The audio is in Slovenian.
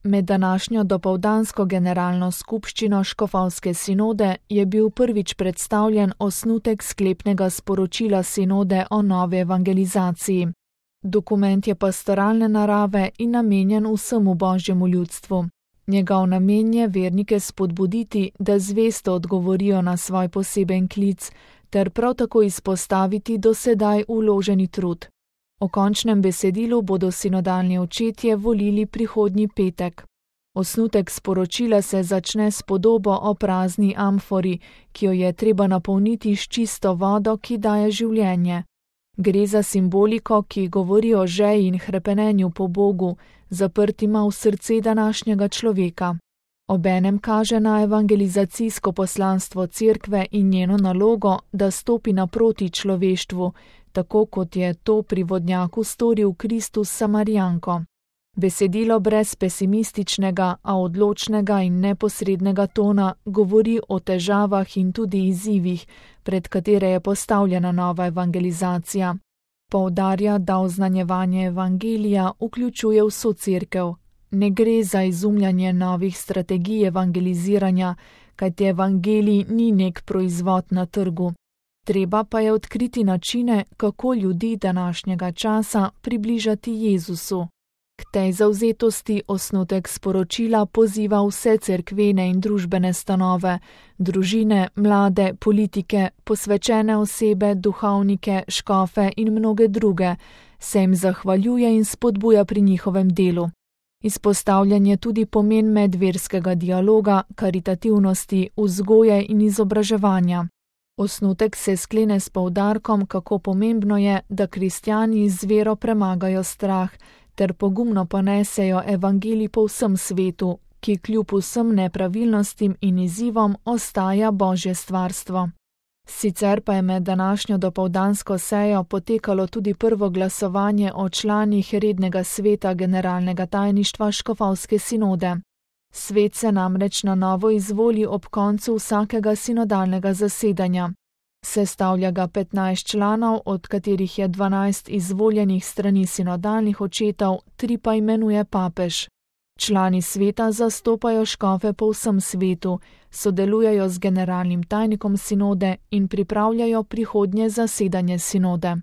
Med današnjo dopoldansko generalno skupščino škofovske sinode je bil prvič predstavljen osnutek sklepnega sporočila sinode o novi evangelizaciji. Dokument je pastoralne narave in namenjen vsemu božjemu ljudstvu. Njegov namen je vernike spodbuditi, da zvesto odgovorijo na svoj poseben klic, ter prav tako izpostaviti do sedaj vloženi trud. O končnem besedilu bodo sinodalni očetje volili prihodnji petek. Osnutek sporočila se začne s podobo o prazni amfori, ki jo je treba napolniti s čisto vodo, ki daje življenje. Gre za simboliko, ki govori o žeji in hrepenenju po Bogu, zaprtima v srce današnjega človeka. Obenem kaže na evangelizacijsko poslanstvo cerkve in njeno nalogo, da stopi naproti človeštvu, tako kot je to pri vodnjaku storil Kristus s Samarijanko. Besedilo brez pesimističnega, a odločnega in neposrednega tona govori o težavah in tudi izzivih, pred katere je postavljena nova evangelizacija. Poudarja, da oznanjevanje evangelija vključuje vso cerkev. Ne gre za izumljanje novih strategij evangeliziranja, kajti evangelij ni nek proizvod na trgu. Treba pa je odkriti načine, kako ljudi današnjega časa približati Jezusu. K tej zavzetosti osnutek sporočila poziva vse cerkvene in družbene stanove, družine, mlade, politike, posvečene osebe, duhovnike, škofe in mnoge druge, se jim zahvaljuje in spodbuja pri njihovem delu. Izpostavljen je tudi pomen medverskega dialoga, karitativnosti, vzgoje in izobraževanja. Osnutek se sklene s poudarkom, kako pomembno je, da kristjani z vero premagajo strah, ter pogumno ponesejo evangelij po vsem svetu, ki kljub vsem nepravilnostim in izzivom ostaja Božje stvarstvo. Sicer pa je med današnjo dopoldansko sejo potekalo tudi prvo glasovanje o članih rednega sveta generalnega tajništva škofovske sinode. Svet se namreč na novo izvoli ob koncu vsakega sinodalnega zasedanja. Sestavlja ga 15 članov, od katerih je 12 izvoljenih strani sinodalnih očetov, 3 pa imenuje papež. Člani sveta zastopajo škofe po vsem svetu, sodelujejo z generalnim tajnikom sinode in pripravljajo prihodnje zasedanje sinode.